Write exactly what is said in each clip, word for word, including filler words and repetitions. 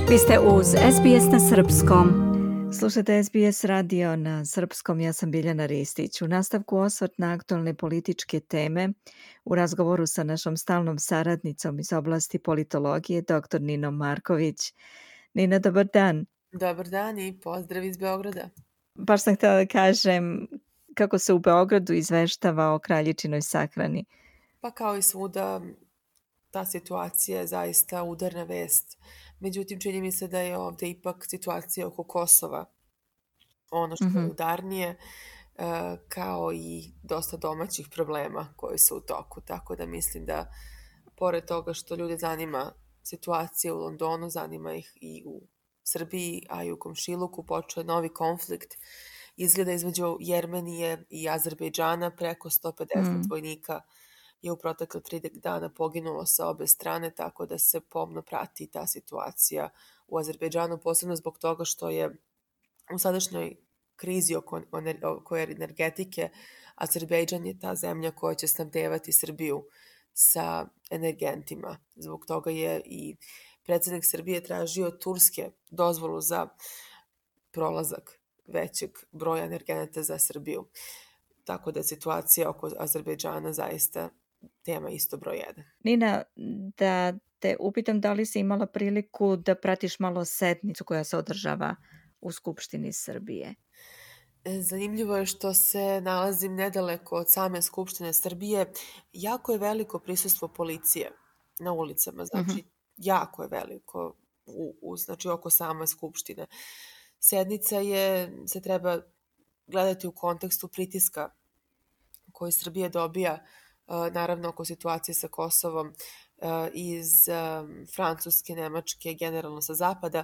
Vi ste uz S B S na srpskom. Slušate S B S radio na srpskom, ja sam Biljana Ristić. U nastavku osvrt na aktualne političke teme u razgovoru sa našom stalnom saradnicom iz oblasti politologije, doktor Ninom Marković. Nina, dobar dan. Dobar dan i pozdrav iz Beograda. Baš sam htjela da kažem kako se u Beogradu izveštava o kraljičinoj sahrani. Pa kao i svuda, ta situacija je zaista udarna vest. Međutim, čini mi se da je ovdje ipak situacija oko Kosova ono što Mhm. je udarnije, e, kao i dosta domaćih problema koji su u toku. Tako da mislim da, pored toga što ljude zanima situacija u Londonu, zanima ih i u Srbiji, a i u komšiluku počeo je novi konflikt. Izgleda između Jermenije i Azerbejdžana, preko sto pedeset Mm. vojnika je u protekle tri dana poginulo sa obe strane, tako da se pomno prati ta situacija u Azerbejdžanu, posebno zbog toga što je u sadašnjoj krizi oko, oko energetike Azerbejdžan je ta zemlja koja će snabdevati Srbiju sa energentima. Zbog toga je i predsjednik Srbije tražio Turske dozvolu za prolazak većeg broja energenata za Srbiju. Tako da je situacija oko Azerbejdžana zaista tema isto broj jedan. Nina, da te upitam da li si imala priliku da pratiš malo sednicu koja se održava u Skupštini Srbije? Zanimljivo je što se nalazim nedaleko od same Skupštine Srbije. Jako je veliko prisustvo policije na ulicama, znači Mhm. jako je veliko u, u, znači oko same Skupštine. Sednica je, se treba gledati u kontekstu pritiska koji Srbija dobija, naravno oko situacije sa Kosovom, iz Francuske, Nemačke, generalno sa zapada.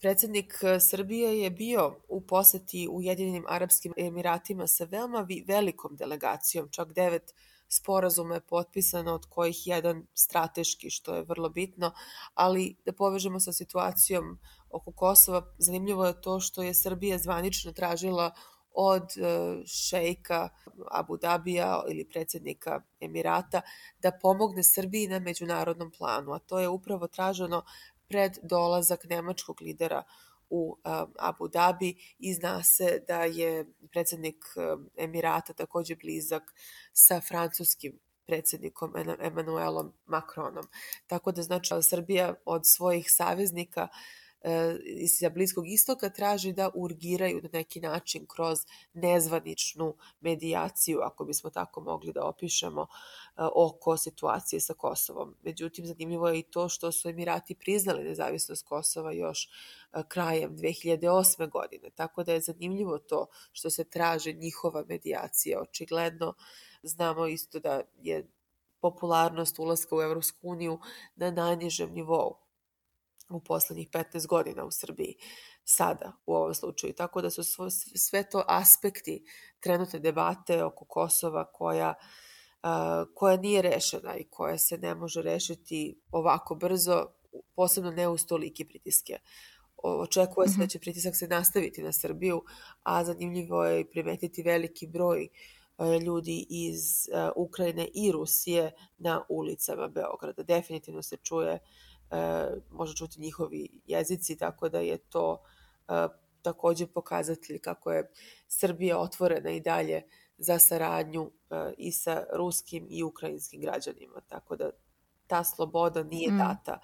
Predsjednik Srbije je bio u poseti Ujedinjenim Arapskim Emiratima sa veoma velikom delegacijom, čak devet sporazuma je potpisano, od kojih jedan strateški, što je vrlo bitno, ali da povežemo sa situacijom oko Kosova, zanimljivo je to što je Srbija zvanično tražila od šejka Abu Dabija ili predsjednika Emirata da pomogne Srbiji na međunarodnom planu, a to je upravo traženo pred dolazak nemačkog lidera u um, Abu Dhabi i zna se da je predsjednik um, Emirata također blizak sa francuskim predsjednikom Emmanuelom Macronom. Tako da znači Srbija od svojih saveznika iz Bliskog istoka traži da urgiraju na neki način kroz nezvaničnu medijaciju, ako bismo tako mogli da opišemo, oko situacije sa Kosovom. Međutim, zanimljivo je i to što su Emirati priznali nezavisnost Kosova još krajem dve hiljade osme. godine. Tako da je zanimljivo to što se traže njihova medijacija. Očigledno znamo isto da je popularnost ulaska u Evropsku uniju na najnižem nivou u posljednjih petnaest godina u Srbiji, sada u ovom slučaju. Tako da su sve to aspekti trenutne debate oko Kosova koja, uh, koja nije rešena i koja se ne može rešiti ovako brzo, posebno ne uz tolike pritiske. Očekuje se da će pritisak se nastaviti na Srbiju, a zanimljivo je primetiti veliki broj ljudi iz uh, Ukrajine i Rusije na ulicama Beograda. Definitivno se čuje E, može čuti njihovi jezici, tako da je to e, također pokazatelj kako je Srbija otvorena i dalje za saradnju e, i sa ruskim i ukrajinskim građanima. Tako da ta sloboda nije Mm. data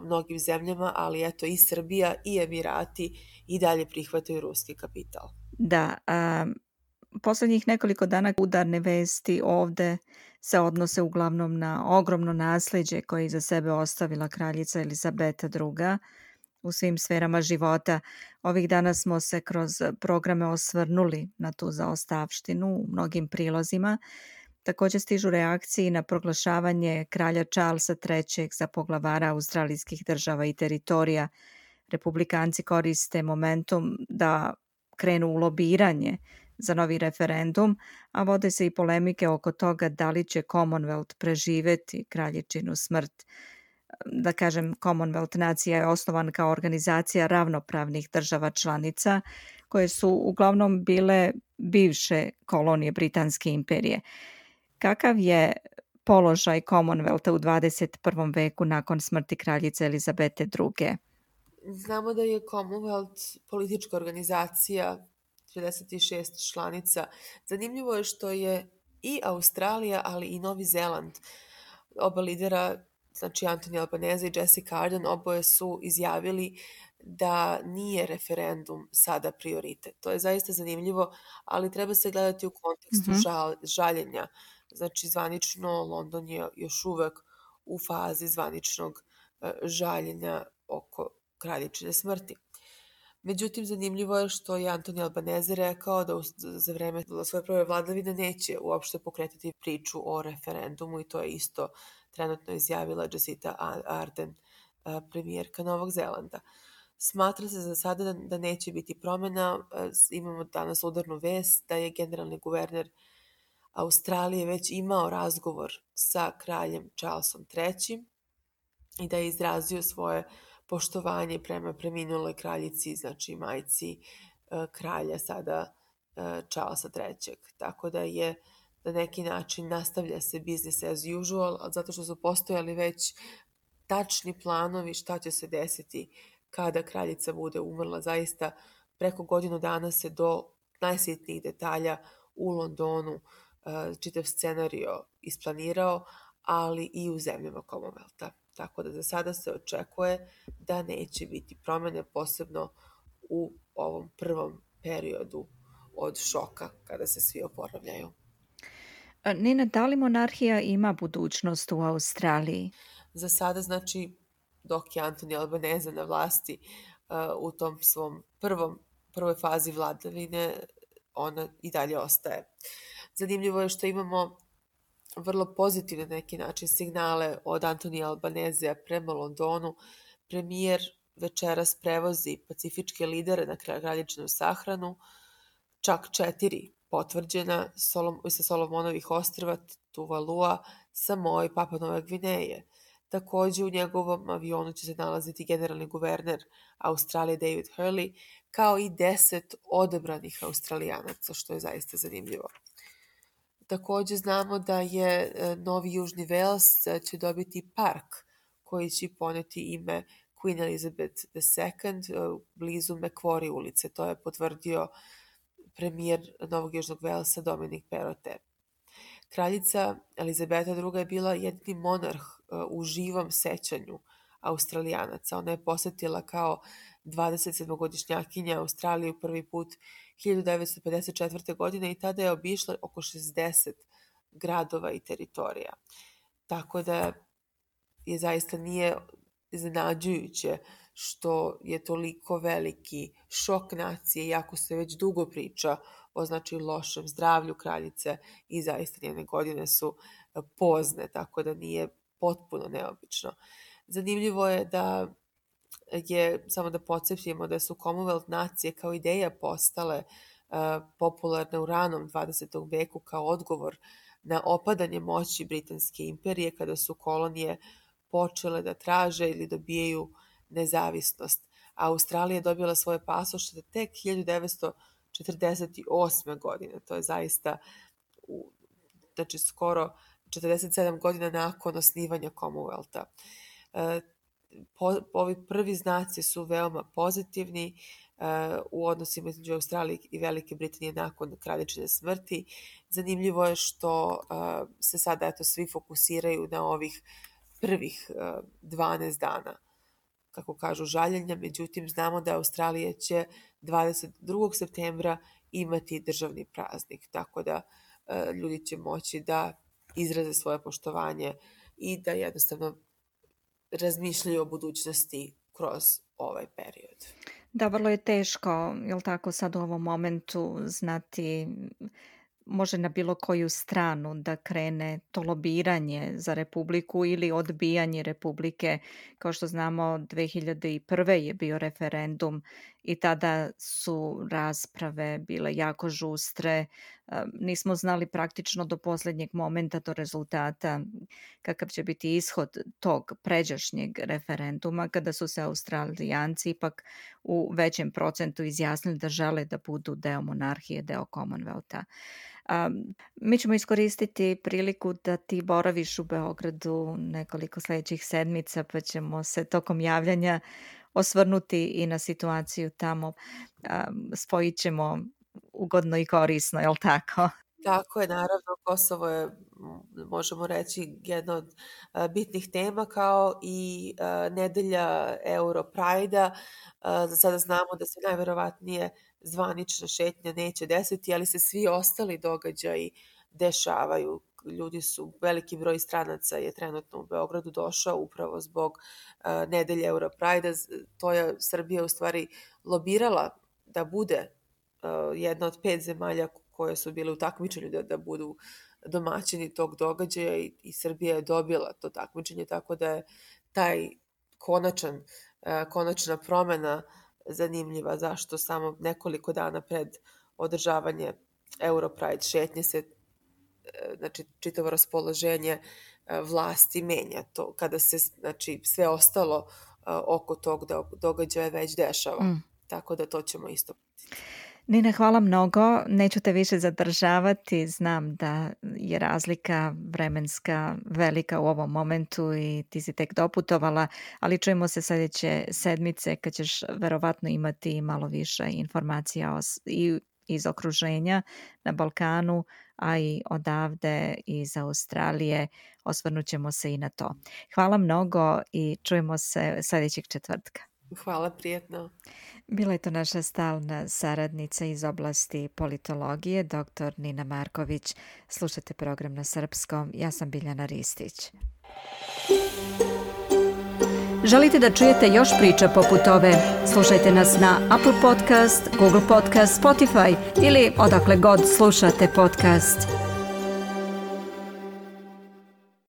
mnogim zemljama, ali eto i Srbija i Emirati i dalje prihvataju ruski kapital. Da, a, posljednjih nekoliko dana udarne vesti ovde se odnose uglavnom na ogromno nasleđe koje je iza sebe ostavila kraljica Elizabeta druga. u svim sferama života. Ovih dana smo se kroz programe osvrnuli na tu zaostavštinu u mnogim prilozima. Također stižu reakcije na proglašavanje kralja Charlesa trećeg za poglavara australijskih država i teritorija. Republikanci koriste momentum da krenu u lobiranje za novi referendum, a vode se i polemike oko toga da li će Commonwealth preživeti kraljičinu smrt. Da kažem, Commonwealth nacija je osnovan kao organizacija ravnopravnih država članica koje su uglavnom bile bivše kolonije Britanske imperije. Kakav je položaj Commonwealtha u dvadeset prvom veku nakon smrti kraljice Elizabete druge? Znamo da je Commonwealth politička organizacija, trideset šest članica. Zanimljivo je što je i Australija, ali i Novi Zeland, oba lidera, znači Anthony Albanese i Jacinda Ardern, oboje su izjavili da nije referendum sada prioritet. To je zaista zanimljivo, ali treba se gledati u kontekstu Mhm. žal, žaljenja. Znači, zvanično London je još uvek u fazi zvaničnog uh, žaljenja oko kraljičine smrti. Međutim, zanimljivo je što je Anthony Albanese rekao da za vreme svoje prve vladavine neće uopšte pokretati priču o referendumu i to je isto trenutno izjavila Jacinda Ardern, premijerka Novog Zelanda. Smatra se za sada da, da neće biti promjena. Imamo danas udarnu vest da je generalni guverner Australije već imao razgovor sa kraljem Charlesom trećim i da je izrazio svoje poštovanje prema preminuloj kraljici, znači majci kralja sada Charlesa trećeg. Tako da je na neki način nastavlja se business as usual, zato što su postojali već tačni planovi šta će se desiti kada kraljica bude umrla. Zaista preko godinu dana se do najsitnijih detalja u Londonu čitav scenario isplanirao, ali i u zemljama Commonwealtha. Tako da za sada se očekuje da neće biti promjene, posebno u ovom prvom periodu od šoka kada se svi oporavljaju. Nina, da li monarhija ima budućnost u Australiji? Za sada, znači, dok je Anthony Albanese na vlasti uh, u tom svom prvom, prvoj fazi vladavine, ona i dalje ostaje. Zanimljivo je što imamo vrlo pozitivne neki način signale od Anthony Albanesea prema Londonu. Premijer večeras prevozi pacifičke lidere na kraljičinu sahranu, čak četiri potvrđena Solom, sa Solomonovih ostrva, Tuvalua, Samoa i Papua Nove Gvineje. Također u njegovom avionu će se nalaziti generalni guverner Australije David Hurley, kao i deset odabranih Australijanaca, što je zaista zanimljivo. Također znamo da je Novi Južni Vels će dobiti park koji će poneti ime Queen Elizabeth the Second blizu Macquarie ulice. To je potvrdio premijer Novog Južnog Velsa Dominic Perrottet. Kraljica Elizabeta druga je bila jedini monarh u živom sećanju Australijanaca. Ona je posjetila kao dvadesetsedmogodišnjakinja Australiju prvi put hiljadu devetsto pedeset četvrte. godine i tada je obišla oko šezdeset gradova i teritorija. Tako da je zaista nije iznenađujuće što je toliko veliki šok nacije, iako se već dugo priča o znači lošem zdravlju kraljice i zaista njene godine su pozne, tako da nije potpuno neobično. Zanimljivo je da je, samo da podsjetimo, da su Commonwealth nacije kao ideja postale uh, popularne u ranom dvadesetom veku kao odgovor na opadanje moći Britanske imperije kada su kolonije počele da traže ili dobijaju nezavisnost. A Australija je dobila svoje pasoše tek hiljadu devetsto četrdeset osme. godine. To je zaista u, znači skoro četrdeset sedam godina nakon osnivanja Commonwealtha. E, po, ovi prvi znaci su veoma pozitivni uh, u odnosima između Australije i Velike Britanije nakon kraljičine smrti. Zanimljivo je što uh, se sada eto svi fokusiraju na ovih prvih uh, dvanaest dana, kako kažu, žaljenja. Međutim, znamo da Australija će dvadeset drugog septembra imati državni praznik, tako da uh, ljudi će moći da izraze svoje poštovanje i da jednostavno razmišljaju o budućnosti kroz ovaj period. Da, vrlo je teško, jel tako, sad u ovom momentu znati može na bilo koju stranu da krene to lobiranje za Republiku ili odbijanje Republike. Kao što znamo, dve hiljade prve. je bio referendum i tada su rasprave bile jako žustre. Nismo znali praktično do posljednjeg momenta, do rezultata, kakav će biti ishod tog pređašnjeg referenduma, kada su se Australijanci ipak u većem procentu izjasnili da žele da budu deo monarhije, deo Commonwealtha. Um, mi ćemo iskoristiti priliku da ti boraviš u Beogradu nekoliko sljedećih sedmica, pa ćemo se tokom javljanja osvrnuti i na situaciju tamo. Spojit ćemo ugodno i korisno, je li tako? Tako je, naravno, Kosovo je, možemo reći, jedna od bitnih tema, kao i nedelja Europride-a. Za sada znamo da se najverovatnije zvanična šetnja neće desiti, ali se svi ostali događaji dešavaju. Ljudi su, veliki broj stranaca je trenutno u Beogradu došao upravo zbog uh, nedelje Europride-a. To je Srbija u stvari lobirala da bude uh, jedna od pet zemalja koje su bile u takmičenju da, da budu domaćini tog događaja i, i Srbija je dobila to takmičenje, tako da je taj konačan, uh, konačna promena zanimljiva. Zašto samo nekoliko dana pred održavanje Europride šetnje se, znači, čitavo raspoloženje vlasti menja to, kada se, znači, sve ostalo oko tog događaja već dešava. Mm. Tako da to ćemo isto. Nina, hvala mnogo. Neću te više zadržavati. Znam da je razlika vremenska velika u ovom momentu i ti si tek doputovala, ali čujemo se sljedeće sedmice kad ćeš verovatno imati malo više informacija o, i iz okruženja na Balkanu, a i odavde iz Australije. Osvrnut ćemo se i na to. Hvala mnogo i čujemo se sljedećeg četvrtka. Hvala, prijetno. Bila je to naša stalna saradnica iz oblasti politologije, doktor Nina Marković. Slušajte program na srpskom. Ja sam Biljana Ristić. Želite da čujete još priča poput ove? Slušajte nas na Apple Podcast, Google Podcast, Spotify ili odakle god slušate podcast.